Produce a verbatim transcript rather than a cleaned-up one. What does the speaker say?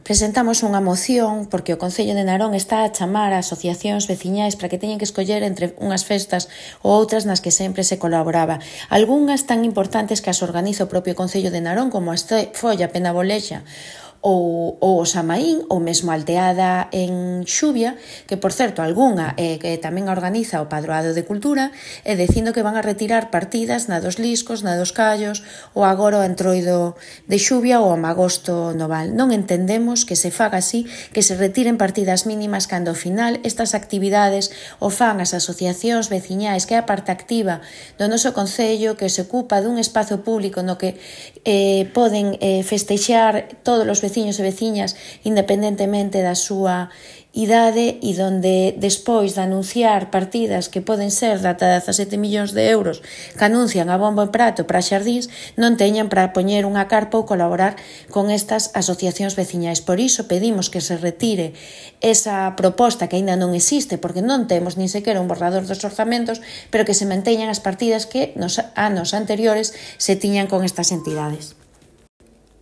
Presentamos unha moción porque o Concello de Narón está a chamar a asociacións veciñais para que teñen que escoller entre unhas festas ou outras nas que sempre se colaboraba. Algúnas tan importantes que as organiza o propio Concello de Narón, como a Folla Penabolexa ou, ou o Samaín, ou mesmo a Alteada en Xuvia, que, por certo, algunha eh, que tamén organiza o Padroado de Cultura, e dicindo que van a retirar partidas na dos Liscos, na dos Callos, ou agora o Entroido de Xuvia ou o Magosto Noval. Non entendemos que se faga así, que se retiren partidas mínimas cando ao final estas actividades o fan as asociacións veciñais, que é a parte activa do noso Concello, que se ocupa dun espazo público no que eh, poden eh, festexar todos os veciños e veciñas independentemente da súa idade, e donde despois de anunciar partidas que poden ser de ata dezasete millóns de euros que anuncian a bombo e prato para xardíns, non teñan para poñer unha carpa ou colaborar con estas asociacións veciñais. Por iso pedimos que se retire esa proposta que aínda non existe, porque non temos nin sequera un borrador dos orzamentos, pero que se manteñan as partidas que nos anos anteriores se tiñan con estas entidades.